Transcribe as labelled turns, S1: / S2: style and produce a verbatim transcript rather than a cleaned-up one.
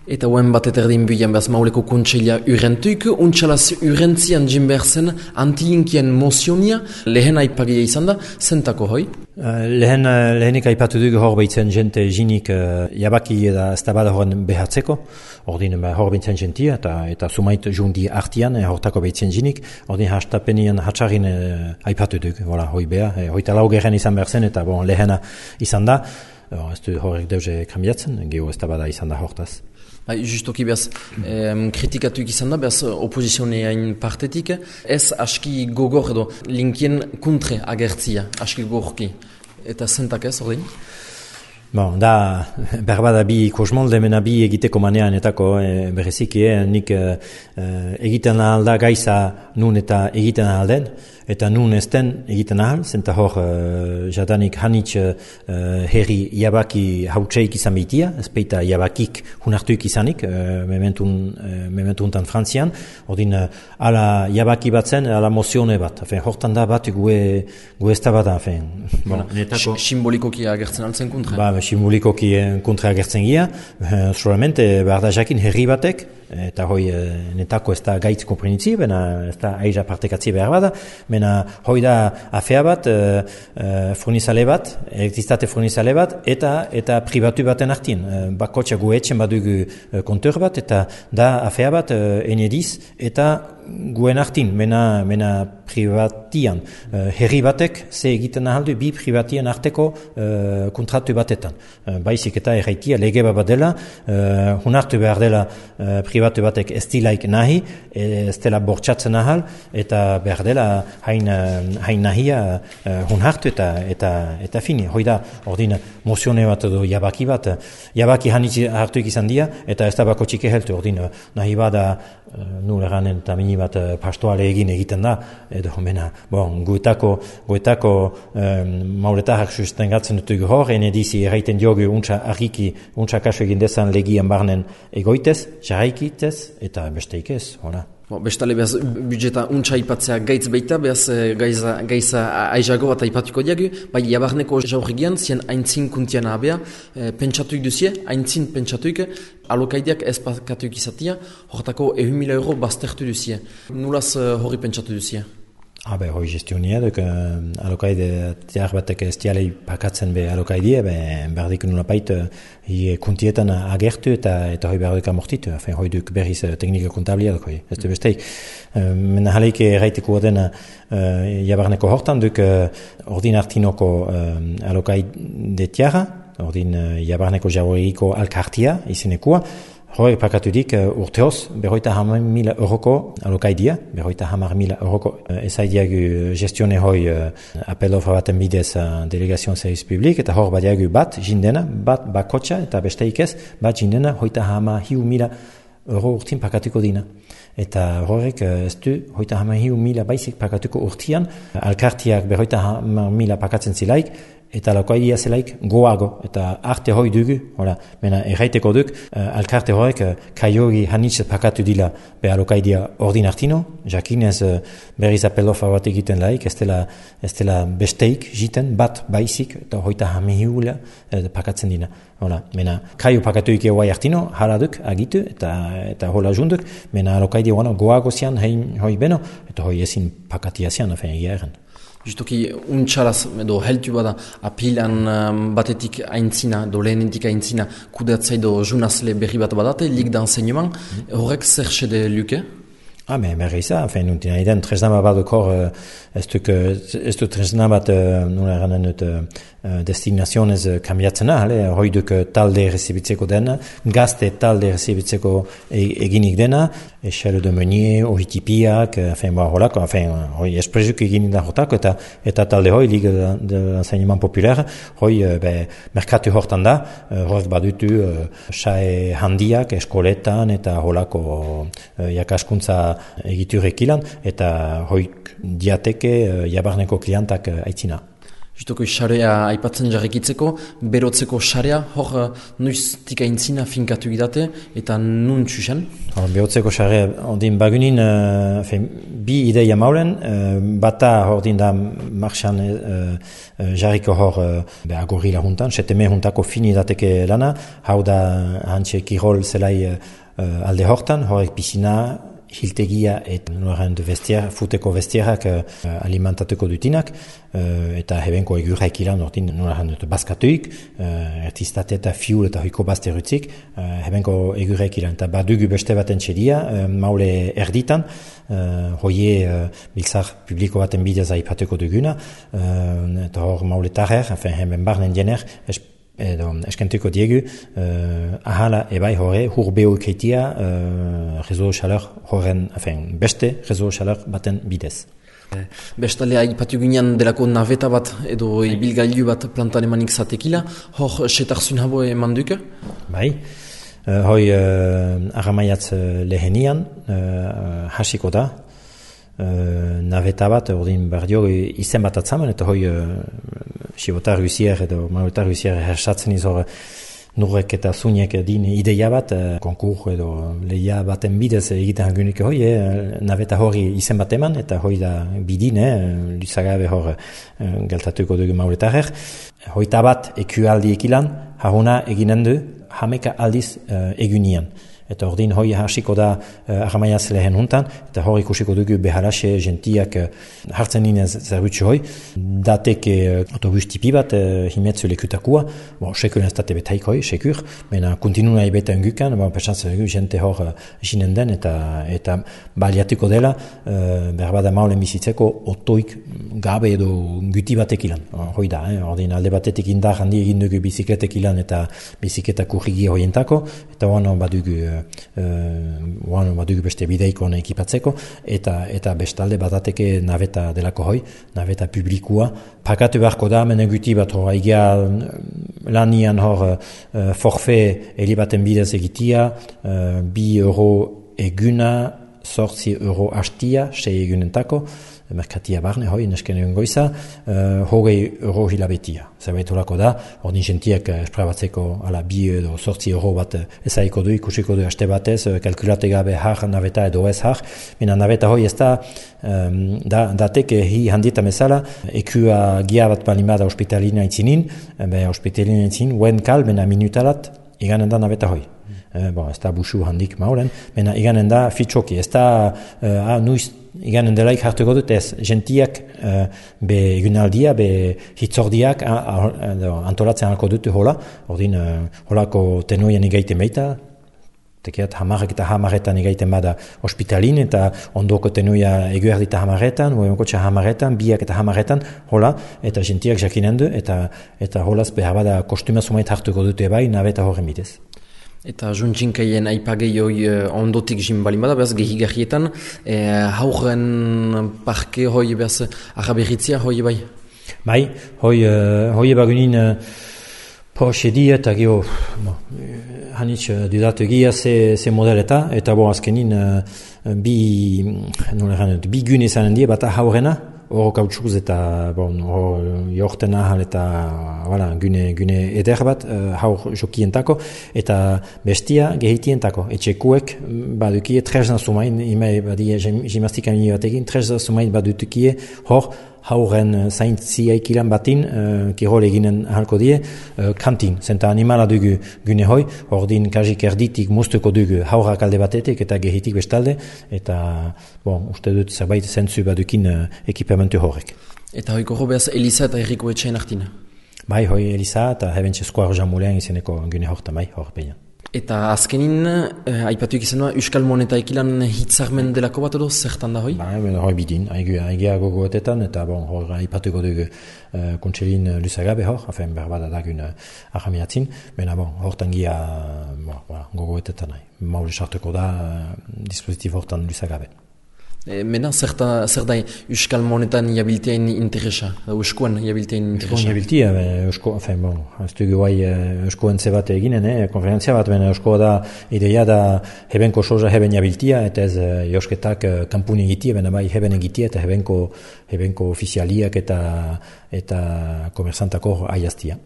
S1: Eta hoen bat eterdin bilan behaz mauleko kontseila urentuik, untxalaz urentzian jimberzen anti-inkien mozionia, lehen aipagia izan da, zentako hoi?
S2: Uh, lehen, uh, lehenik aipatu dugu hor behitzen jente jinik uh, jabaki eta estabada horren behatzeko, ordin uh, hor behitzen jentia eta, eta sumait jundi artian, uh, hortako behitzen jinik, ordin hastapenian hatxarin uh, aipatu dugu, hola, hoi beha, uh, hoita lau geren izan behar zen, eta bon, lehena izan da, uh, ez du horrek deuze kambiatzen, geho estabada izan da hortaz.
S1: Bai, justoki behaz, em, kritikatuik izan da, behaz opozizioneain partetik, ez aski gogor edo linkien kontre agertzia, aski gogorki. Eta zentak ez, ordin?
S2: Bon, da, berbada bi kosmolde mena bi egiteko manean etako e, bereziki, eh, nik e, egiten ahal da gaiza nun eta egiten ahal den, eta nun ez den egiten ahal, zenta hor e, jadanik hanitz e, herri jabaki hautseik izan behitia, ez peita jabakik hunartuik izanik, e, mementun, e, mementuntan Frantzian, ordin e, ala jabaki bat zen, ala mozione bat, afen, hortan da bat gue, gue ez da bat, afen.
S1: Bon, netako... Simbolikoki agertzen altzen kontra?
S2: Ba, simbolikoki kontra agertzen gira, uh, solamente behar da jakin herri batek, eta hoi netako ez da gaitz komprenitzi, bena ez da aiza partekatzi behar bada, bena hoi da afea bat, uh, uh, furnizale bat, elektriztate furnizale bat, eta eta pribatu baten artien. Uh, bakotxa gu etxen badugu uh, kontor bat, eta da afea bat uh, enediz, eta guen artin, mena, mena privatian. Uh, herri batek ze egiten ahaldu bi privatien arteko uh, kontratu batetan. Uh, baizik eta erraitia lege bat dela, uh, hunartu behar dela uh, privatu batek ez dilaik nahi, ez dela bortxatzen ahal, eta behar dela hain, hain nahia uh, hunartu eta, eta, eta fini. Hoi da, ordin mozione bat edo jabaki bat, jabaki hanitzi hartuik izan dia, eta ez da bako txike heltu, ordin nahi bada uh, nul eranen eta mini bat uh, pastoale egin egiten da, edo mena, bon, guetako, guetako um, mauletarrak susten gatzen dutugu hor, enedizi erraiten diogu untsa argiki, untsa kaso egin dezan legian barnen egoitez, jarraikitez, eta besteik ez, hola.
S1: Bo, bestale behaz budjeta untsa ipatzea gaitz baita, behaz gaiza, gaiza aizago bat aipatuko diagu, bai jabarneko jaurrigian, zien aintzin kuntian abea, e, pentsatuik duzie, aintzin pentsatuik, alokaideak ez pakatuik izatia, horretako ehun mila euro baztertu duzie. Nulaz horri pentsatu duzie?
S2: Ah, be, hoi gestionia, duk, uh, alokaide tiar batek ez dialei pakatzen be alokaidea, be, berdik nula pait, hi kuntietan agertu eta eta hoi behar duk amortitu, afen, hoi duk berriz teknika kontablia duk, hoi, ez du besteik. Uh, Mena jaleik erraiteko odena uh, jabarneko hortan, duk uh, ordin artinoko uh, alokaide tiara, ordin uh, jabarneko jauriko alkartia, izenekua, hoi pakatudik uh, urteoz, berroita hamar mila euroko alokaidia, berroita hamar mila euroko uh, ezaidiagu gestione hoi uh, apelofra baten bidez uh, delegazion serviz publik, eta hor badiagu bat jindena, bat bakotxa, eta besteik ez, bat jindena hoita hamar hiu mila euro urtin pakatuko dina. Eta horrek ez du hoita hamar hiu mila baizik pakatuko urtian, alkartiak berroita hamar mila pakatzen zilaik, eta alokaidia zelaik goago, eta arte hoi dugu, hola, mena erraiteko duk, uh, alkarte horrek uh, kaiori hanitz pakatu dila be alokaidia ordin artino, jakinez uh, berriz apelofa bat egiten laik, ez dela, ez dela besteik jiten, bat baizik, eta hoita hamihiula uh, pakatzen dina. Hola, mena kaio pakatuik eguai artino, hala duk, agitu, eta, eta hola junduk, mena alokaidia bueno, goago zian, hein, hoi beno, eta hoi ezin pakatia zian, afen egia erren.
S1: Justoki untxalaz edo heltu bada apilan um, batetik aintzina, do lehenentik aintzina kudeatzai do junazle berri bat badate, lik da enseignement, mm. horrek zer xede luke?
S2: Ah, mais berriza, enfin, nun tina iden, tresna bat dukor, ez duk, ez duk tresna bat, nula eranen dut, destinazionez kambiatzena, hoi duk talde rezibitzeko dena, gazte talde rezibitzeko eginik dena, echelle de meunier, ohitipiak, enfin, ba, holako, enfin, hoi esprezuk eginik da hortako, eta, eta talde hoi, Ligue de l'enseignement populaire, hoi, be, merkatu hortan da, horrek badutu, sae handiak, eskoletan, eta holako jakaskuntza egiturekilan, eta hoik diateke jabarneko klientak aitzina.
S1: Justoko xarea aipatzen jarrekitzeko, berotzeko xarea, hor noiztik aintzina finkatu idate, eta nun txusen?
S2: Berotzeko xarea, ordin bagunin, uh, fein, bi ideia maulen, uh, bata ordin da marxan uh, uh, jarriko hor uh, agorila juntan, seteme juntako fini dateke lana, hau da hantxe kirol zelai uh, alde hortan, horrek pisina, hiltegia eta noren de vestiar, futeko vestiarak uh, alimentatuko dutinak, uh, eta hebenko egurraik ilan ortin noren dut baskatuik, uh, ertiztate eta fiul eta hoiko bazte rutzik, uh, hebenko egurraik ilan. Eta badugu beste baten txedia, uh, maule erditan, uh, hoie uh, biltzar publiko baten bidez aipatuko duguna, uh, eta hor maule tarrer, enfin, hemen barnen jener, edo eskentuko diegu uh, ahala ebai horre hurbeo keitia uh, rezo xaleur horren, enfin, beste rezo xaleur baten bidez.
S1: Bestalea aipatu ginean delako naveta bat edo ibilgailu bat plantan emanik zatekila, hor setarzun habo eman duke?
S2: Bai, uh, hoi uh, aramaiatz lehenian uh, hasiko da, Uh, naveta bat, ordin bardio izen bat atzaman, eta hoi uh, sibotar guzier edo marotar guzier hersatzen izor nurrek eta zuniek din ideia bat, uh, konkur edo lehia baten bidez egiten hangunik hoi, eh, naveta hori izen bat eman, eta hoi da bidin, eh, luzagabe hor uh, geltatuko dugu mauletarrer. Hoita bat ekualdi ekilan, haruna eginen du, hameka aldiz uh, egunian. Eta ordin hoi hasiko da uh, aramaiaz lehen huntan, eta hori ikusiko dugu behalaxe gentiak uh, hartzen ninen zerbutsu hoi, datek uh, autobus tipi bat uh, himetzu lekutakua, bon, sekur ez date betaik hoi, sekur, mena kontinuna ibeta engukan, bon, pertsantza dugu gente hor uh, jinen den, eta, eta baliatuko dela, uh, berbada maulen bizitzeko otoik gabe edo guti batek ilan, hoi da, eh? Ordin alde batetik indar handi egin dugu bizikletek ilan eta bizikleta kurrigi hoientako, eta hoan badugu Uh, badugu beste bideiko ekipatzeko, eta eta bestalde badateke naveta delako hoi, naveta publikua. Pakatu beharko da, menen guti bat hor, aigia lanian hor uh, forfe helibaten bidez egitia, uh, bi euro eguna, sortzi euro hastia, sei egunentako, merkatia barne, hoi, nesken egun goiza, uh, hogei euro hilabetia. Zerbait horako da, ordin jentiak esprabatzeko ala bi edo sortzi euro bat ezaiko du, ikusiko du haste batez, kalkulate gabe har naveta edo ez har, mina naveta hoi ez da, um, da dateke hi handietan bezala, ekua gia bat balimada hospitalina itzinin, be hospitalina itzinin, uen kal, bena minutalat, iganen da naveta hoi. Eh, bon, ez da busu handik maulen, mena iganen da fitxoki, ez da uh, ah, nuiz iganen delaik hartuko dut ez gentiak uh, be egunaldia, be hitzordiak uh, uh, antolatzen halko dut hola, ordin uh, holako tenoien igaiten baita, tekiat hamarek eta hamaretan igaiten bada hospitalin, eta ondoko tenoia eguerdi eta hamaretan, uemenkotxe hamaretan, biak eta hamaretan, hola, eta gentiak jakinen du, eta, eta holaz behar bada kostuma sumait hartuko dute bai, nabeta horren bitez.
S1: Eta juntxinkaien aipagei hoi uh, ondotik jin balin bada, behaz gehigarrietan, eh, hauren parke hoi behaz araberritzia hoi bai?
S2: Bai, hoi, uh, hoi bagunin uh, po sedia eta geho, no, hanitz uh, dudatu egia ze, ze modeleta, eta bo azkenin uh, bi, nola bi gune zanen die, bata haurena, hor kautxuz eta bon, jorten ahal eta voilà, gune, gune eder bat uh, haur jokientako eta bestia gehitientako. Etxekuek badukie trezna sumain, imai badie gimnastikan batekin, trezna sumain badutukie hor hauren zaintziaik ilan batin, uh, kirol eginen ahalko die, uh, kantin, zenta animala dugu gune hoi, ordin kajik erditik muztuko dugu haurak alde batetik eta gehitik bestalde, eta bon, uste dut zerbait zentzu badukin uh, ekipamentu horrek.
S1: Eta hoiko behaz Elisa eta Erriko etxain hartina?
S2: Bai, hoi Elisa eta hebentxe skoar jamulean izeneko gune horta, bai, hor behian.
S1: Eta azkenin, eh, aipatuik izanua, Euskal Moneta ekilan hitzarmen delako bat edo, zertan da hoi?
S2: Ba, hoi bidin, aigia gogoetetan, eta bon, hor aipatuko dugu uh, kontselin lusagabe hor, hafen berbada dagun uh, ahamiatzin, bena bon, hortan gia uh, gogoetetan nahi. Maule sartuko da uh, dispositif hortan lusagabe.
S1: E, mena, zer da, zer da euskal monetan jabiltean interesa, euskoan jabiltean interesa?
S2: Euskoan jabiltea, eusko, enfin, bon, ez dugu guai euskoan zebat eginen, eh, konferentzia bat, baina eusko da, ideia da hebenko soja heben jabiltea, eta ez josketak kampun egitea, baina bai heben egitea, eta hebenko, hebenko ofizialiak eta, eta komersantako aiaztia.